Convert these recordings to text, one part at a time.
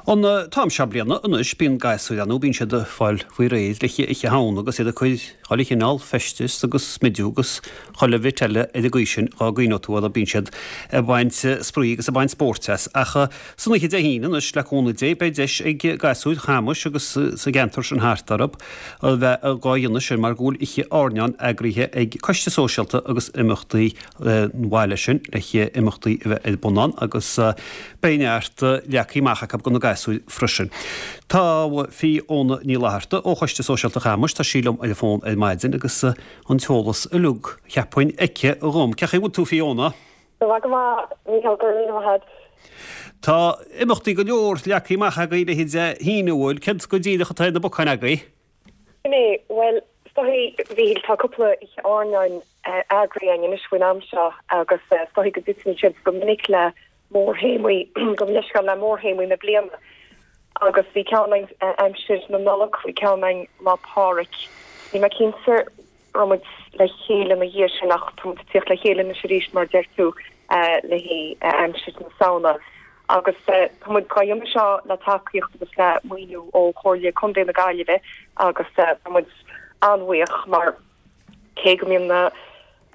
An t-am seo bliana anois bíonn gasúir ann nó bíonn siad ag fáil faoi réir le haghaidh Oíche Shamhna agus iad ag cur chuile chineál feistis agus smidiú agus chuile bhit eile ar an gcaoi sin dhá gcuimhneodh tú orthu bíonn siad ag baint spraoi agus ag baint spóirt as. Ach san oíche Dé hAoine anois le cúnamh Dé beidh deis ag gasúir Chamais agus sa gceantar sin thart orthu a bheith dhá dhéanamh sin mar go bhfuil oíche airneáin eagraithe ag Coiste Sóisialta agus Imeachtaí an bhaile sin le haghaidh imeachtaí a bheith ar bun ann agus beidh neart leagtha amach acu do na gasúir freisin. Tá Fiona Ní Fhlatharta ó Choiste Sóisialta Chamais, tá sí liom ar an bhfón ar maidin agus an t-eolas uilig, cheapfainn, aici dhom. Cén chaoi a bhfuil tú Fiona? Tá mé go maith, Mícheál, go raibh míle maith agat. Tá imeachtaí go leor leagtha amach agaibh le haghaidh Dé hAoine, an bhfuil? Céard go díreach atá ar na bacáin agaibh? Sin é, bhuel, is dóichí, a Mhíchíl, tá cúpla oíche airneáin eagraithe againn anois faoin am seo agus is dóichí go dtiteann siad go minic le mórthéamaí, gabh mo leithscéal, le mórthéamaí na bliana. Agus bhí ceann againn aimsir na Nollag, bhí ceann againn Lá Pádraig. Níl mé cinnte raibh muid le chéile ina dhiaidh sin ach tá muid ag tíocht le chéile anois arís mar a deir tú le haghaidh aimsir na Samhna. Agus tá muid dhá dhéanamh seo le tacaíocht agus le maoiniú ó Chomhairle Contae na Gaillimhe agus tá muid an-bhuíoch mar cé go mbíonn na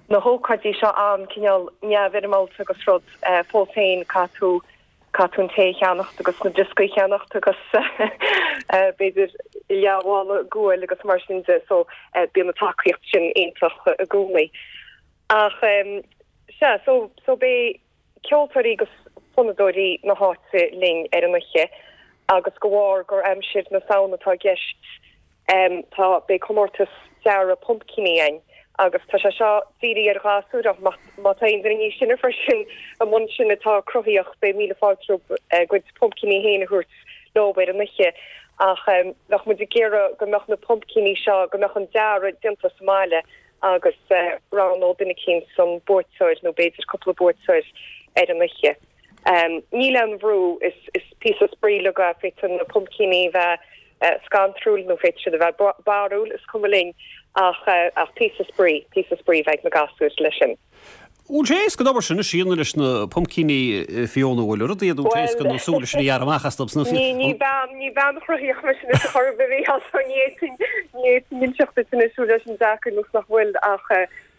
na hócáidí seo an-cineál neamhfhoirmeálta agus rud, fós féin caithfidh tú caithfidh tú an tae a cheannacht agus na brioscaí a cheannacht agus b'fhéidir leathmhála guail agus mar sin de so bíonn an tacaíocht sin iontach i gcónaí. Ach sea, so so beidh ceoltóirí agus fonnadóirí na háite linn ar an oíche agus de bharr gur aimsir na Samhna atá i gceist tá beidh comórtas dearadh pumpcíní againn agus tá sé seo dírithe ar ghasúir ach má má tá aon duine níos sine freisin i mbun sin atá cruthaíoch beidh míle fáilte rompu a gcuid pumpcíní féin a thabhairt leo ar an oíche ach bheadh muid ag iarraidh go mbeadh na pumpcíní seo go mbeadh an dearadh déanta sa mbaile agus roghnódh duine eicínt an buaiteoir nó b'fhéidir cúpla buaiteoir ar an oíche. Níl aon bhrú, is píosa spraoi uilig é, féadfaidh na pumpcíní bheith scantrúil nó féadfaidh siad a bheith barrúil, is cuma linn ach ach píosa spraoi, píosa spraoi a bheidh ag na gasúir leis sin. Bhfuil sé éasca an obair sin a dhéanamh leis na pumpcíní Fiona, bhfuil rud iad bhfuil sé éasca na súile sin a ghearradh amach astu sna Ní ní bean ní bean chruthaíoch mise anois a chor ar bith a Mhícheál so ní fhéadfainn ní fhéadfainn inseacht duit anois bhfuil sé sin deacair nó nach bhfuil ach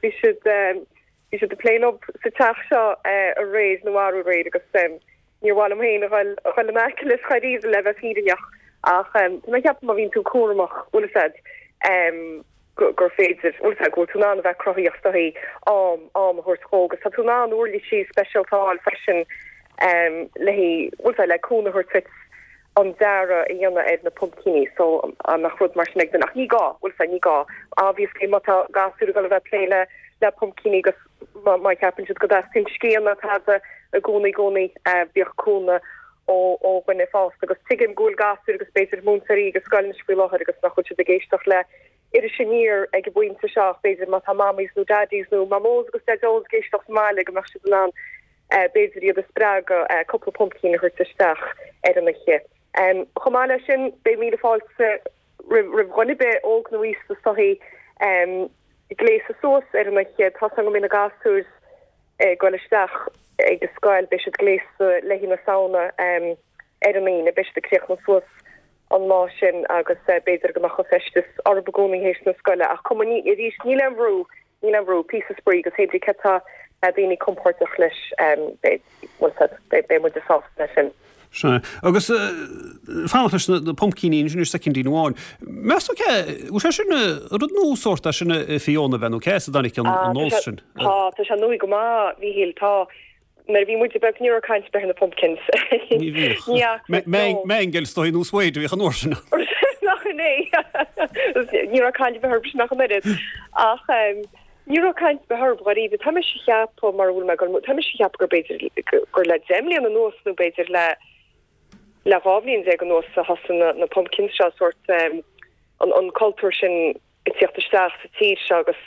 bhí siad bhí siad ag plé leo sa teach seo aréir nó arú aréir agus níor mhaith liom féin a dhul a dhul in aice leis dháiríre le bheith fírinneach ach tá mé ag ceapadh má bhíonn tú cúramach bhfuil a fhios agat gur féidir, bhfuil a fhios agat, go bhfuil tú in ann a bheith cruthaíoch is dóichí am, am a thabhairt dhó agus tá tú in ann uirlisí speisialta a fháil freisin le haghaidh, bhfuil a fhios agat, le cúnamh a thabhairt duit an dearadh a dhéanamh ar na pumpcíní so dá mbeadh rud mar sin ag duine ach ní gá, bhfuil a fhios agat, ní gá. Obviously má tá gasúir ag dul a bheith ag plé le le pumpcíní agus má má cheapann siad go dteastaíonn scian nó tada i gcónaí i gcónaí bíodh cúnamh ó ó dhuine fásta agus tuigim go bhfuil gasúir agus b'fhéidir múinteoirí ag an scoil anois faoi láthair agus nach bhfuil siad ag éisteacht le Iris Aniar ag an bpointe seo ach b'fhéidir má tá mammies nó daddies nó mamós agus daideo ag éisteacht sa mbaile go mbeadh siad in ann b'fhéidir iad a spreagadh cúpla pumpkin a thabhairt isteach ar an oíche. Chomh maith leis sin beidh míle fáilte roimh roimh dhuine ar bith, óg nó aosta is dóichí, gléasadh suas ar an oíche. Tá 's agam go mbeidh na gasúir ag dul isteach ag an scoil, beidh siad gléasta le haghaidh na Samhna ar an Aoine, beidh siad ag críochnú suas an lá sin agus b'fhéidir go mbeadh an feisteas orthu i gcónaí théis na scoile ach cuma, ní, arís, níl aon bhrú, níl aon bhrú, píosa spraoi agus hé brí cé tá daoine compordach leis, beidh, bhfuil 's agat, beidh, beidh muide sásta leis sin. Sea. Agus fanacht leis na pumpcíní ansin ar soicindín amháin. Meas tú cé, bhfuil sé sin rud nua sórt é sin a Fiona bheith nó cé as a dtáinig an nós sin? Tá, tá sé nua go maith, Mhíchíl, tá. Nuair a bhí muide beag ní raibh caint ar bith ar na pumpkins. Ní bhíodh. Ní fhaca. Mangel is dóigh nó suede a bhíodh an uair sin. Nach in é? Ní raibh caint ar bith orthu sin ach an oiread. Ach ní raibh caint ar bith orthu dháiríre. Tá mise ag ceapadh mar a bhfuil mé ag dul, tá mise ag ceapadh gur b'fhéidir gur le 10 mbliana anuas nó b'fhéidir le le 12 bhliain anuas a thosaigh na na pumpkins seo sórt an an cultúr sin ag tíocht isteach sa tír seo agus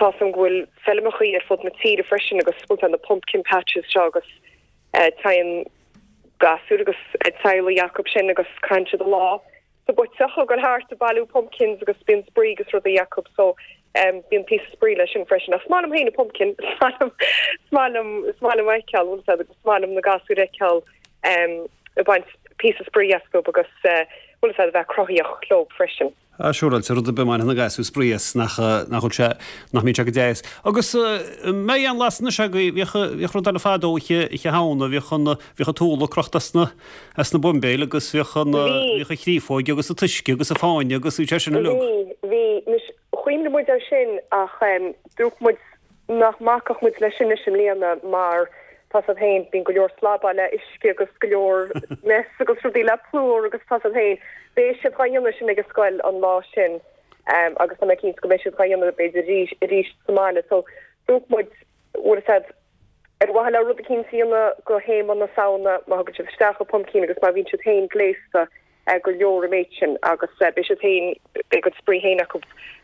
tá 's agam go bhfuil feilmeachaí ar fud na tíre freisin agus bhfuil na pumpkin patches seo agus téann gasúir agus teaghlaigh acu sin agus caitheann siad an lá sa bpuiteach ag dul thart ag bailiú pumpkins agus bíonn spraoi agus rudaí acu so bíonn píosa spraoi leis sin freisin. Ach is maith liom féin an pumpkin, is maith liom, is maith liom, is maith liom a fheiceáil, bhfuil 's agat, is maith liom na gasúir a fheiceáil ag baint. píosa spraoi astu agus bhfuil fhios a'd a bheith cruthaíoch leo freisin. Ah siúráilte, rud ar bith a mbainfidh na gasúir spraoi as nach nach bhfuil sé, nach mbíonn sé go deas. Agus an mbeidh aon lasadh anois agaibh, bhíodh, bhíodh rud eile fadó oíche, oíche Shamhna, bhíodh an, bhíodh an t-úlla crochta as na, as na buimbéil agus bhíodh an, bhíodh an chréafóig agus an t-uisce agus an fáinne agus bhí sé sin uilig. Bhí, bhí. Anois, chuimhnigh muid air sin ach dúirt muid nach mbacfadh muid leis sin anois i mbliana mar tá 's a'd féin, bíonn go leor slabáil le uisce agus go leor mess agus rudaí le plúr agus tá 's a'd féin. Beidh siad dhá dhéanamh sin ag an scoil an lá sin agus tá mé cinnte go mbeidh siad dhá dhéanamh b'fhéidir arís arís sa mbaile. So dúirt muid, bhfuil 'fhios a'd, ar mhaithe le rud eicínt a dhéanamh do théama na Samhna, má thugann siad isteach an pumpkin agus má bhíonn siad féin gléasta gur leor an méid sin agus beidh siad féin, beidh a gcuid spraoi féin acu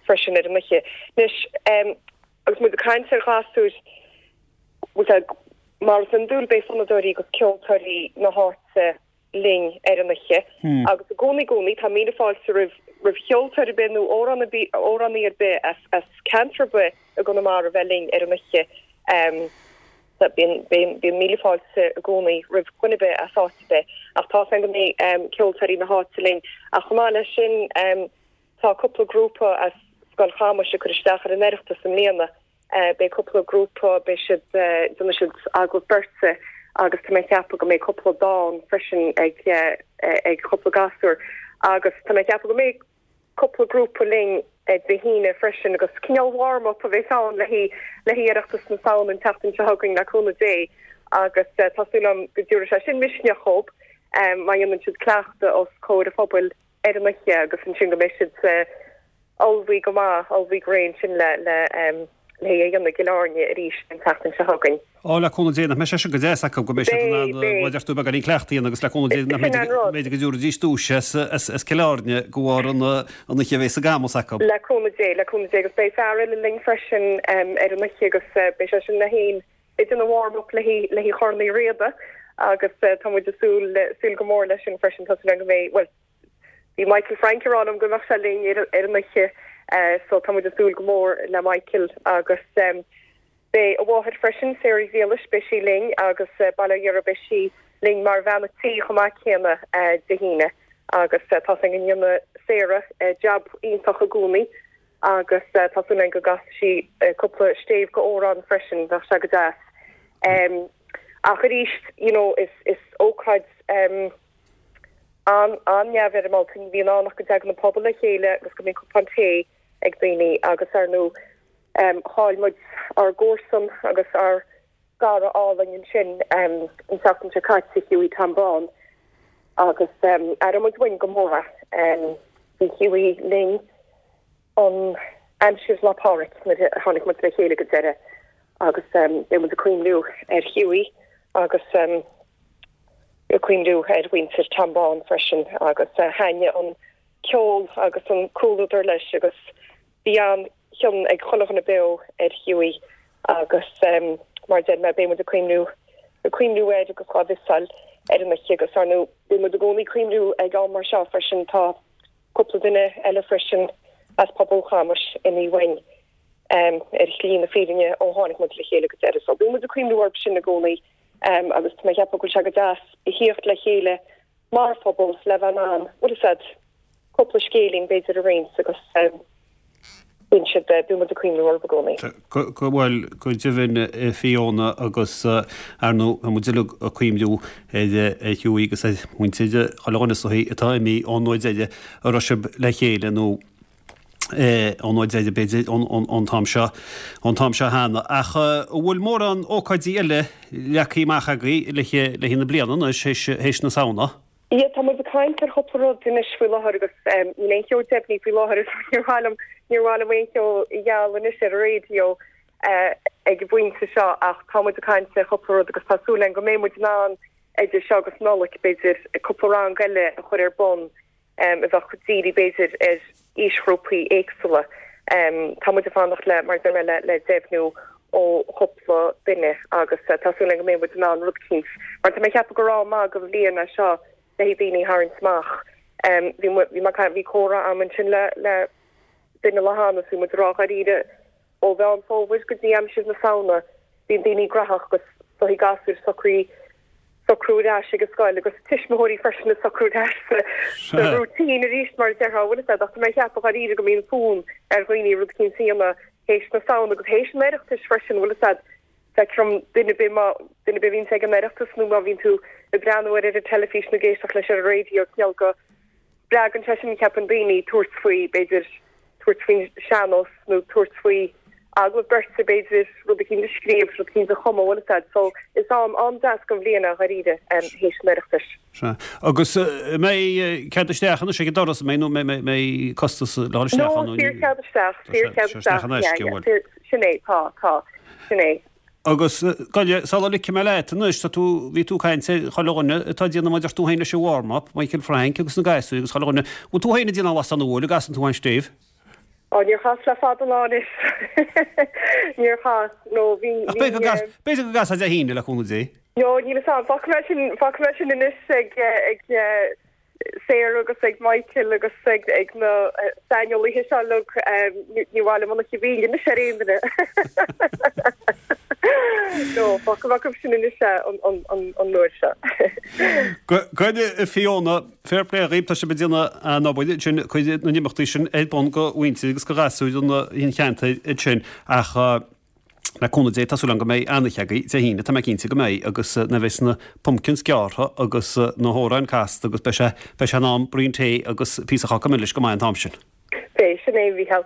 freisin ar an oíche. Anois, agus muid ag caint ar ghasúir, bhfuil 's a'd, mar is iondúil beidh fonnadóirí agus ceoltóirí na háite linn ar an oíche agus i gcónaí i gcónaí tá míle fáilte roimh roimh cheoltóir ar bith nó amhrán ar bith, amhránaí ar bith as as ceantar ar bith i gConamara a bheith linn ar an oíche. Bíonn, bíonn míle fáilte i gcónaí roimh dhuine ar bith as áit ar bith ach tá 's a'm go mbeidh ceoltóirí na háite linn. Ach chomh maith leis sin tá cúpla grúpa as Scoil Chamuis ag cur isteach ar an Oireachtas i mbliana. Beidh cúpla grúpa, beidh siad, déanfaidh siad agallamh beirte agus tá mé ag ceapadh go mbeidh cúpla dán freisin ag ag cúpla gasúr agus tá mé ag ceapadh go mbeidh cúpla grúpa linn Dé hAoine freisin agus cineál warm up a bheas ann le haghaidh Oireachtas na Samhna an tseachtain seo chugainn le cúnamh Dé agus tá súil agam go dtabharfaidh sé sin misneach dhób má dhéanann siad cleachtadh os comhair an phobail ar an oíche agus ansin go mbeidh siad ullmhaithe go maith, ullmhaithe go réidh ansin le le le haghaidh a dhéanamh i gCill Airne arís an tseachtain seo chugainn. Á, le cúnamh Dé, nach mbeidh sé sin go deas acu, go mbeidh siad in ann, mar a deir tú, beagáinín cleachtaidh a dhéanamh agus le cúnamh Dé, nach mbeidh go dtabharfaidís duais as Cill Airne de bharr an oíche a bheas i gCamus acu. Le cúnamh Dé, le cúnamh Dé, agus beidh fear eile linn freisin ar an oíche agus beidh sé sin le féin ag déanamh warm up le haghaidh Chorn Uí Riada agus tá muid ag súil, súil go mór leis sin freisin, tá súil agam go mbeidh, bhuel, Bhí Michael Frank ag rá liom go mbeadh sé linn ar an oíche so tá muid ag súil go mór le Michael agus beidh a mháthair freisin, Sarah Ghriallais, beidh sí linn agus bail ó Dhia uirthi beidh sí linn mar bhean a' tí chomh maith céanna Dé hAoine agus tá 's againn go ndéanann Sarah jab iontach i gcónaí agus tá súil againn go gcasfaidh sí cúpla stéibh go amhrán freisin, bheadh sé go deas. Ach arís, you know, is is ócáid an-neamhfhoirmeálta. Ní bhíonn ann ach go dtagann an pobal le chéile agus go mbíonn cupán tae ag daoine agus ar ndóigh chaill muid ár gcomharsan agus ár gcara álainn ansin an tseachtain seo caite, Hughie Tom Bán, agus aireoidh muid uainn go mór é. Bhí Hughie linn an aimsir Lá Pádraig nuair a tháinig muid le chéile go deireadh agus beidh muid ag cuimhniú ar Hughie agus ag cuimhniú ar mhuintir Tom Bán freisin agus thaitnigh an ceol agus an comhluadar leis agus bhí an-chion ag chuile dhuine beo ar Hughie agus mar a deir mé beidh muid ag cuimhniú ag cuimhniú air agus dhá mhiosáil ar an oíche agus ar ndóigh beidh muid i gcónaí ag cuimhniú ag am mar seo freisin tá cúpla duine eile freisin as pobal Chamuis imithe uainn ar shlí na fírinne ó tháinig muid le chéile go deireadh. So bíonn muid ag cuimhniú orthu sin i gcónaí agus tá mé ag ceapadh go bhfuil sé go deas a thíocht le chéile mar phobal le bheith in ann, bhfuil fhios a'd, cúpla scéilín b'fhéidir a roinnt agus bíonn siad, bíonn muid ag cuimhniú orthu i gcónaí. Go, bhuel, go deimhin a Fiona agus ar ndóigh tá muid uilig ag cuimhniú ar Hughie agus ar mhuintir chuile dhuine is dóichí atá imithe ón uair deiridh a raibh sibh le chéile nó ón uair deiridh b'fhéidir ón t-am seo, ón t-am seo cheana. Ach an bhfuil mórán ócáidí eile leagtha amach agaibh le haghaidh na bliana anois, théis na Samhna? Yeah, tá muid ag caint ar chúpla rud anois faoi láthair agus níl aon cheo deimhnithe faoi láthair so níor mhaith liom, níor mhaith liom aon cheo a ghealladh anois ar an raidió ag an bpointe seo ach tá muid ag caint ar chúpla rud agus tá súil againn go mbeidh muid in ann idir seo agus Nollaig b'fhéidir cúpla rang eile a chur ar bun a bheadh dírithe b'fhéidir ar aoisghrúpaí éagsúla. Tá muid ag fanacht le, mar a deir mé, le deimhniú ó chúpla duine agus tá súil againn go mbeidh muid in ann rud eicínt, mar tá mé ag ceapadh gur am maith den bhliain é seo le haghaidh daoine a tharraingt amach. Bhí bhí mé bhí comhrá agam ansin le le duine lá cheana agus bhí muid ag rá dháiríre ó Mheán Fómhair go dtí aimsir na Samhna bíonn daoine graitheach agus is dóichí gasúir socraí. socrú ar ais ag an scoil agus tuismitheoirí freisin ag socrú ar ais sa routine arís mar a déarfá, bhfuil fhios a'd, ach tá mé ag ceapadh dháiríre go mbíonn fonn ar dhaoine rud eicínt a dhéanamh théis na Samhna agus théis an Oireachtais freisin, bhfuil fhios a'd, feictear dom duine ar bith má, duine ar bith a bhíonns ag an Oireachtas nó má bhíonn tú ag breathnú air ar an teilifís nó ag éisteacht leis ar an raidió, cineál go spreagann sé sin ceapaim daoine tabhairt faoi, b'fhéidir, tabhairt faoin sean-nós nó tabhairt faoi agallamh beirte, b'fhéidir, rud eicínt a scríobh, rud eicínt a chumadh, bhfuil fhios a'd. So, is am an-deas den bhliain é, dháiríre, théis an Oireachtais. Sea. Agus an mbeidh cead isteach anois ag an doras, an mbeidh, nó an mbeidh costas le dhul isteach ann? No, saor chead isteach, saor chead isteach, yeah, yeah, sin é, tá, tá, sin é. Agus, gabh, sula ligfidh mé leat anois, tá tú, bhí tú ag caint ar chuile dhuine atá ag déanamh mar a deir tú féin leis an warm up, Michael Frank agus na gasúir agus chuile dhuine. Bhfuil tú féin ag déanamh lasadh nó bhfuil, an gcasann tú an stéibh? Ó, níor chas le fada an lá anois. Níor chas, no, bhí, Ach b'fhéidir go gcas, b'fhéidir go gcasfá Dé hAoine le cúnamh Dé. No, níl fhios a'm, fágfaidh mé sin, fágfaidh mé sin anois ag, ag, Sarah agus ag Michael agus ag na saineolaithe seo uilig, ní mhaith liom an oíche mhíle anois ar aon duine. No, fágfaidh mé acu sin anois é an uair seo. Gabh, a Fiona, fair play dhaoibh, tá sibh ag déanamh an-obair ansin, ag cur na n-imeachtaí sin ar bun do mhuintir agus do ghasúir an cheantair ansin ach, Le cúnamh Dé, tá súil agam go mbeidh an-oíche agaibh Dé hAoine, tá mé cinnte go mbeidh, agus nuair a bheas na pumpkins gearrtha agus na hamhráin casta agus beidh sé, beidh sé in am braon tae agus píosa cháca milis go maith an t-am sin. Beidh, sin é, a Mhícheáil.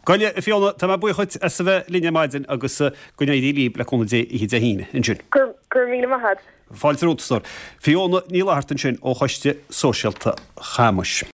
Gabh, a Fiona, tá mé buíoch dhuit as a bheith linn ar maidin agus go n-éirí libh le cúnamh Dé oíche Dé hAoine ansin. Go raibh míle maith agat. Fáilte romhat, a stór. Fiona Ní Fhlatharta ansin ó Choiste Sóisialta Chamais.